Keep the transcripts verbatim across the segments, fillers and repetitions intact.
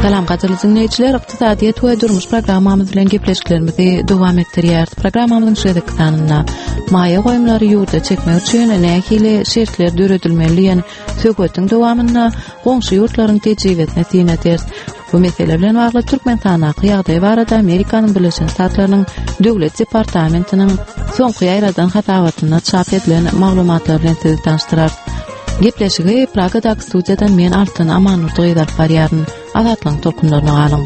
Salam gadyrly diňleýjiler, ykdysadyýet we durmuş programmamyz bilen gepleşiklerimizi dowam etdirýäris. Programmamyzyň şu gezekki sanynda maýa goýumlary ýurda çekmek üçin nähili şertler döredilmeli diýen söhbetiň dowamynda goňşy ýurtlaryň tejribesine syn ederis. Bu mesele bilen bagly Türkmenistandaky ýagdaý barada Amerikanyň Birleşen Ştatlarynyň Döwlet departamentiniň soňky ýaýradan hasabatynda çap edilen maglumatlar bilen sizi tanyşdyrarys. Gepleşigi Pragadaky studiýadan men Altyn Amanurdy gyz alyp barýaryn. Azatlygyň tolkunlaryna galyň.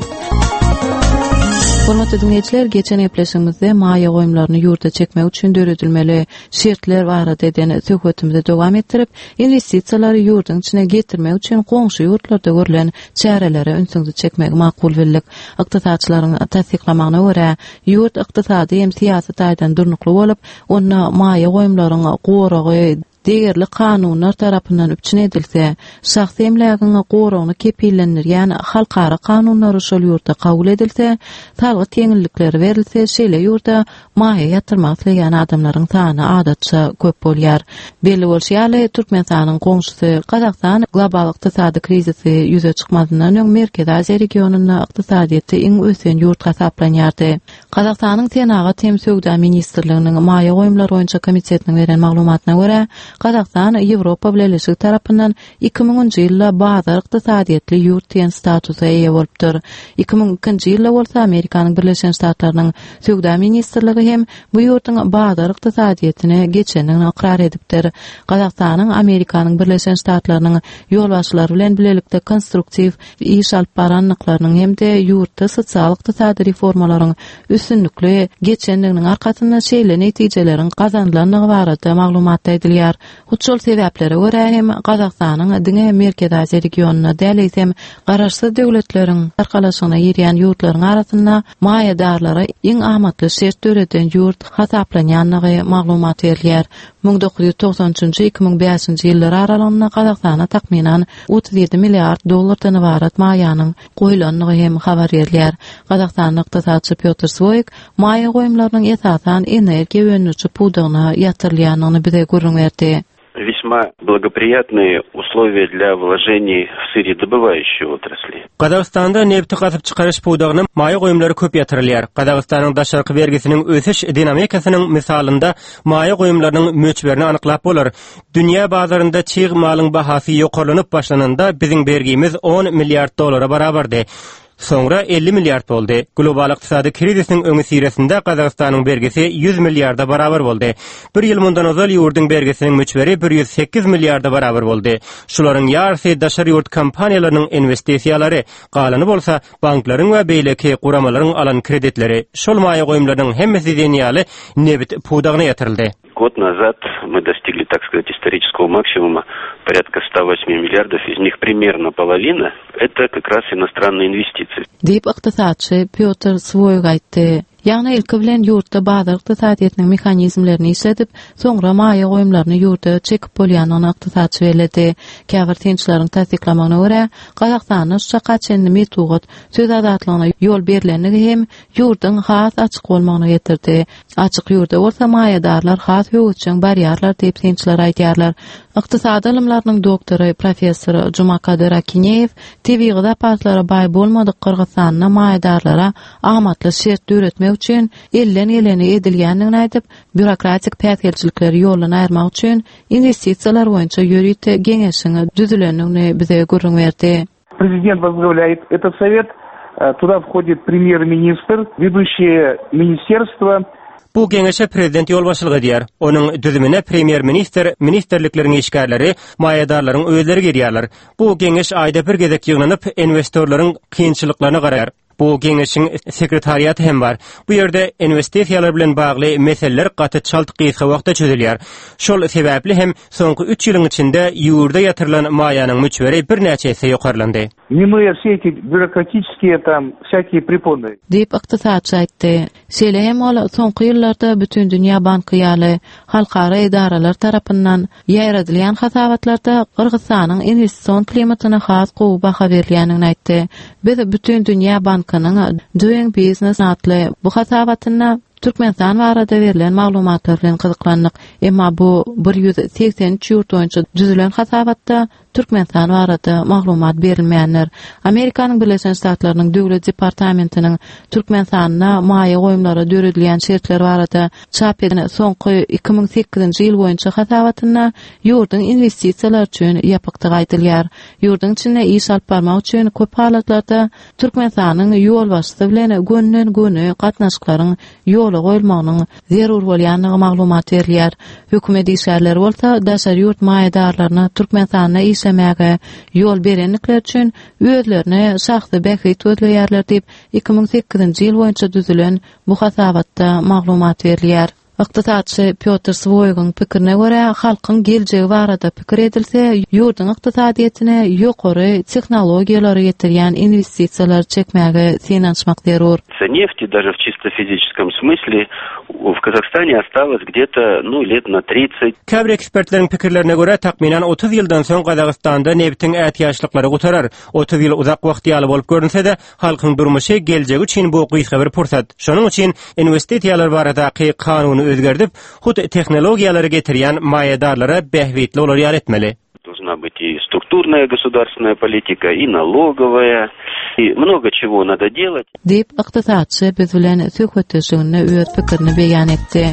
Hormatly diňleýjiler, geçen gepleşigimizde maýa goýumlaryny ýurda çekmek üçin döredilmeli şertler barada eden söhbetimizi dowam etdirip, investisiýalary ýurduň içine getirmek üçin goňşy ýurtlarda görlen çärelere ünsüňizi çekmegi makul bildik. Ykdysatçylaryň tassyklamagyna görä, ýurt ykdysady hem syýasy taýdan durnukly bolup, onda maýa goýumlaryň goragy degerli kanunlar tarapyndan üpjün edilse, şahsy emlägiň goragyny kepillendirýän halkara kanunlary şol ýurtda kabul edilse, salgyt ýeňillikleri berilse, şeýle ýurda maýa ýatyrmak isleýän adamlaryň sany adatça köp bolýar. Belli bolşy ýaly, Türkmenistanyň goňşusy Gazagystan global ykdysady krizisi ýüze çykmazyndan öň Merkezi Aziýa regionynda ykdysadyýeti iň ösen ýurt hasaplanýardy. Gazagystanyň Senagat hem söwda ministrliginiň maýa goýumlar boýunça komitetiniň beren maglumatyna görä, Gazagystan Ýewropa Bileleşigi tarapyndan iki müňünji ýylda bazar ykdysadyýetli ýurt diýen statusa eýe bolupdyr. Iki müň ikinji ýylda bolsa Amerikanyň Birleşen Ştatlarynyň Söwda ministrligi hem bu ýurduň bazar ykdysadyýetine geçendigini ykrar edipdir. Gazagystanyň Amerikanyň Birleşen Ştatlarynyň ýolbaşçylary bilen bilelikde konstruktiw iş alyp barandyklarynyň hem-de ýurtda sosial ykdysady reformalaryň üstünlikli geçendiginiň arkasynda şeýle netijeleriň gazanylandygy barada maglumatda aýdylýar. Hut şol sebäplere görä hem Gazagystanyň diňe Merkezi Aziýa regionynda däl, eýsem garaşsyz döwletleriň arkalaşygyna girýän ýurtlaryň arasynda maýadarlara iň amatly şert döreden ýurt hasaplanýandygy maglumat berilýär. Müň dokuz ýüz togsan üçünji iki müň bäşinji ýyllar aralygynda Gazagystana takmynan otuz ýedi milliard dollardan ybarat maýanyň goýulandygy hem habar berilýär. Gazagystanyň ykdysatçy Pýotr Swoýk maýa goýumlarynyň esasan energiýa öndüriji pudagyna ýatyrylýandygyny bize gürrüň berdi. Весьма благоприятные условия для вложений в сырьедобывающие отрасли. Gazagystanda nebti gazyp çykaryş pudagyna maýa goýumlary köp ýatyrylýar. Gazagystanyň daşarky bergisiniň ösüş dinamikasynyň mysalynda maýa goýumlarynyň möçberini anyklap bolar. Dünýä bazarynda çig malyň bahasy ýokarlanyp başlananda biziň bergimiz on milliard dollara barabardy. Soňra elli milliard boldy. Global ykdysady krizisiň öňi siresinde Gazagystanyň bergisi ýüz milliarda barabar boldy. Bir ýyl mundan ozal ýurduň bergisiniň möçberi bir ýüz sekiz milliarda barabar boldy. Şularyň ýarysy daşary ýurt kompaniýalarynyň investisiýalary, galany bolsa banklaryň we beýleki guramalaryň alan kreditleri. Şol maýa goýumlarynyň hemmesi diýen ýaly nebit pudagyna ýatyryldy. Год назад мы достигли, так сказать, исторического максимума порядка ста восьми миллиардов, из них примерно половина это как раз иностранные инвестиции. Diýip ykdysatçy Pýotr Swoýk aýtdy. Ýagny ilki bilen ýurtda bazar ykdysadyýetiniň mehanizmlerini işledip, soňra maýa goýumlaryny ýurda çekip bolýandygyny ykdysatçy belledi. Käbir synçylaryň tassyklamagyna görä, Gazagystanda şu çaka çenli metbugat söz azatlygyna ýol berilendigi hem ýurduň has açyk bolmagyna getirdi. Açyk ýurda bolsa maýadarlar has höwesjeň barýarlar diýip synçylar aýdýarlar. Ykdysady ylymlarynyň doktory professor Jumakadyr Akineýew tebigy zapaslara baý bolmadyk Gyrgyzystanda maýadarlara amatly şert döretmek üçin elden geleni edilýändigini aýdyp, býurokratik päsgelçilikleri ýoldan aýyrmak üçin investisiýalar boýunça ýörite geňeşiň düzülendigini bize gürrüň berdi. Президент возглавляет этот совет, э, туда входит премьер-министр, ведущие министерства. Bu geňeşe prezident ýolbaşçylyk edýär. Onuň düzümine premýer-ministr, ministerlikleriň işgärleri, maýadarlaryň özleri girýärler. Bu geňeş aýda bir gezek ýygnanyp, investorlaryň kynçylyklaryna garaýar. Bu geňeşiň sekretariaty hem bar. Bu ýerde investisiýalar bilen bagly meseleler gaty çalt gysga wagtda çözülýär. Şol sebäpli hem soňky üç ýylyň içinde ýurda ýatyrylan maýanyň möçberi birnäçe esse ýokarlandy. Минуя все эти бюрократические там всякие препоны. Diýip ykdysatçy aýtdy. Şeýle hem ol soňky ýyllarda Bütün Dünýä Banky ýaly halkara edaralar tarapyndan ýaýradylýan hasabatlarda Gyrgyzystanyň investision klimatyna has gowy baha berilýändigini aýtdy. Biz Bütün Dünýä Bankynyň Doing Business atly bu hasabatynda Türkmenistan barada berlen maglumatlar bilen gyzyklandyk. Emma bu bir ýüz segsen üç ýurt boýunça düzülen hasabatda Türkmenistan barada maglumat berilmeýänler. Amerikanyň Birleşen Ştatlarynyň Döwlet departamentiniň Türkmenistanda maýa goýumlara döredilýän şertler barada çap edilen soňky iki müň sekizinji ýyl boýunça hasabatynda ýurduň investisiýalar üçin ýapykdygy aýdylýar. Ýurduň içinde iş alyp barmak üçin köp halatlarda Türkmenistanyň ýolbaşçysy bilen gönden-göni gatnaşyklaryň ýola goýulmagynyň zerur bolýandygy maglumat berilýär. Hökümet işgärleri bolsa daşary ýurt maýadarlaryna Türkmenistanda işlemäge ýol berenlikler üçin özlerine şahsy bähbit gözleýärler diýip iki müň sekizinji ýyl boýunça düzülen bu hasabatda maglumat berilýär. Ykdysatçy Piotr Swoýgyň pikirine görä, halkyň geljegi barada pikir edilse, ýurduň ykdysadyýetine ýokary tehnologiýalary getirýän investisiýalary çekmäge synanyşmak zerur. Нефти даже в чисто физическом смысле в Казахстане осталось где-то, ну, лет на тридцать. Käbir ekspertleriň pikirlerine görä, takmynan otuz ýyldan soň Gazagystanda nebitiň ätiýaçlyklary gutarar. Otuz ýyl uzak wagt ýaly bolup görünse-de, halkyň durmuşy geljegi üçin bu gysga bir pursat. Şonuň üçin investisiýalar baradaky kanuny özgerdip, hut tehnologiýalary getirýän maýadarlara bähbitli bolar ýaly etmeli. Должна быть и структурная государственная политика, и налоговая, и много чего надо делать. Diýip, ykdysatçy biz bilen söhbetdeşliginde öz pikirini beýan etdi.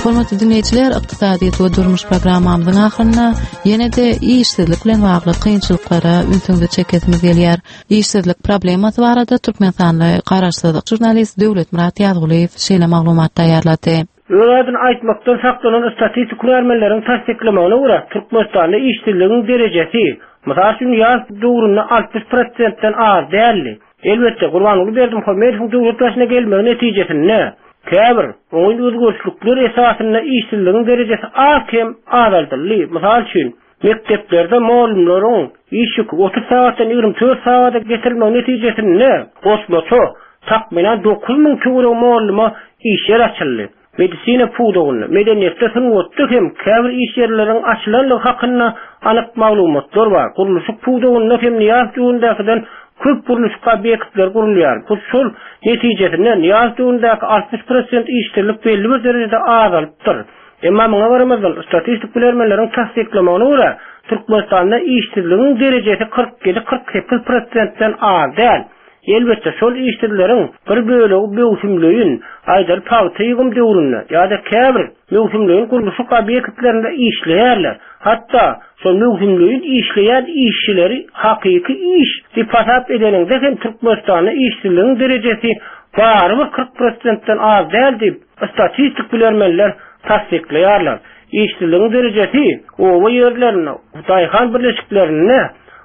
Hormatly dinleýjiler, ykdysadyýet we durmuş programmamyzyň ahyrynda ýene-de işsizlik bilen bagly kynçylyklara ünsüňizi çekesimiz gelýär. Işsizlik problemasy barada Türkmenistanly garaşsyz žurnalist Döwletmyrat Ýazgulyýew şeýle maglumat taýýarlady. Öz adyny aýtmakdan saklanan statistik hünärmenleriň tassyklamagyna görä, Türkmenistanda işsizligiň derejesi, mysal üçin, ýaz döwründe altmyş prosentden az däldi. Elbetde, Gurbanguly Berdimuhamedowyň döwlet başyna gelmegi netijesinde käbir oňyn özgerişlikler esasynda işsizligiň derejesi az kem azaldyldy. Mysal üçin, mekdeplerde mugallymlaryň iş ýüki otuz sagatdan ýigrimi dört sagada getirilmegi netijesinde goşmaça takmynan dokuz müň töweregi mugallyma iş ýer açyldy. Medisina pudagynda, medeniýetde, sungatda hem käbir iş ýerleriniň açylandygy hakynda anyk maglumatlar bar. Gurluşyk pudagynda hem Nyýaz döwründäkiden köp gurluşyk obýektleri gurulýar. Bu şol netijesinde Nyýaz döwründäki altmyş prosent işsizlik belli bir derejede azalypdyr. Emma muňa garamazdan statistik bilermenleriň tassyklamagyna görä, Türkmenistanda işsizligiň derejesi kyrk ýedi kyrk sekiz prosentden az däl. Elbetde, şol işsizleriň bir bölegi möwsümleýin, aýdaly pagta ýygym döwründe ýa-da käbir möwsümleýin gurluşyk obýektlerinde işleýärler. Hatda şol möwsümleýin işleýän işçileri hakyky iş diýip hasap edeniňde hem Türkmenistanda işsizligiň derejesi barybir kyrk prosentden az däl diýip statistik bilermenler tassyklaýarlar. Işsizligiň derejesi oba ýerlerinde, daýhan birleşiklerinde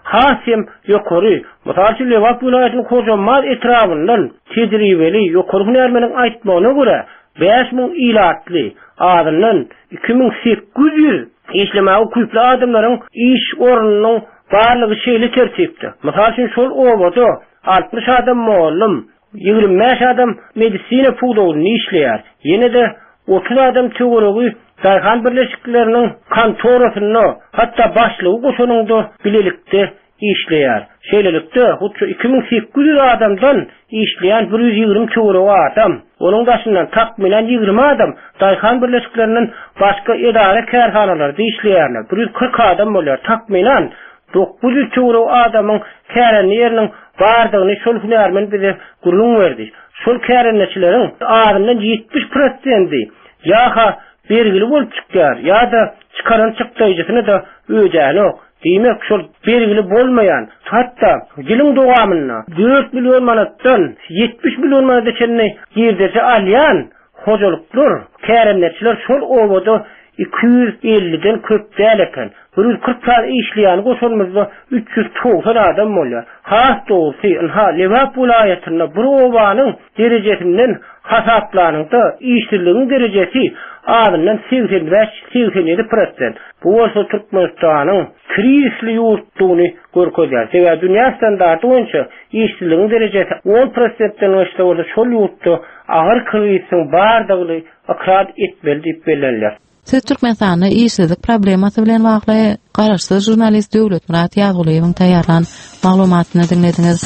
has hem ýokary. Mysal üçin, Lebap welaýatynyň Hojambaz etrabyndan tejribeli ýokary hünärmeniň aýtmagyna görä, bäş müň ilatly, azyndan iki müň sekiz ýüz işlemäge ukyply adamlaryň iş ornunyň barlygy şeýle tertipde. Mysal üçin, şol obada altmyş adam mugallym, ýigrimi bäş adam medisina pudagynda işleýär. Ýene-de otuz adam töweregi daýhan birleşikleriniň kontorasynda, hatda başlygy goşanynda bilelikde işleýär. Şeýlelikde, hut şu iki müň sekiz ýüz adamdan işleýän bir ýüz ýigrimi töweregi adam, onuň daşyndan takmynan ýigrimi adam daýhan birleşiklerinden başga edara kärhanalarda işleýärler. Bir ýüz kyrk adam bolýar. Takmynan dokuz ýüz töweregi adamyň kärende ýeriniň bardygyny şol hünärmen bize gürrüň berdi. Şol kärendeçileriň azyndan ýetmiş prosenti ýa-ha bergili bolup çykýar, ýa-da çykaran çykdaýjysyny da ödänok. Diýmek, şol bergili bolmaýan, hatda ýylyň dowamynda dört million manatdan ýetmiş million manata çenli girdeji alýan hojalyklar, kärendeçiler şol obada iki ýüz elliden köp däl eken. Bir ýüz kyrk sany işleýän goşanymyzda üç ýüz togsan adam bolýar. Has dogrusu, ynha, Lebap welaýatynda bir obanyň derejesinden hasaplanyňda işsizligiň derejesi azyndan segsen bäş segsen ýedi prosent. Bu bolsa Türkmenistanyň krizisli ýurtdugyny görkezýär. Sebäbi dünýä standarty boýunça işsizligiň derejesi on prosentden geçse bolsa şol ýurtda agyr krizisiň bardygyny ykrar etmeli diýip bellenilýär. Siz Türkmenistanda işsizlik problemasy bilen bagly garaşsyz žurnalist Döwletmyrat Ýazgulyýewiň taýýarlan maglumatyny diňlediňiz.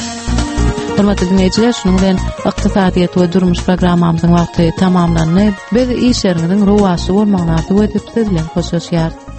Hormatly dinleýjiler, şunuň bilen ykdysadyýet we durmuş programmamyzyň wagty tamamlandy. Biz işleriňiziň rowaçly bolmagyny arzuw edip siz bilen hoşlaşýarys.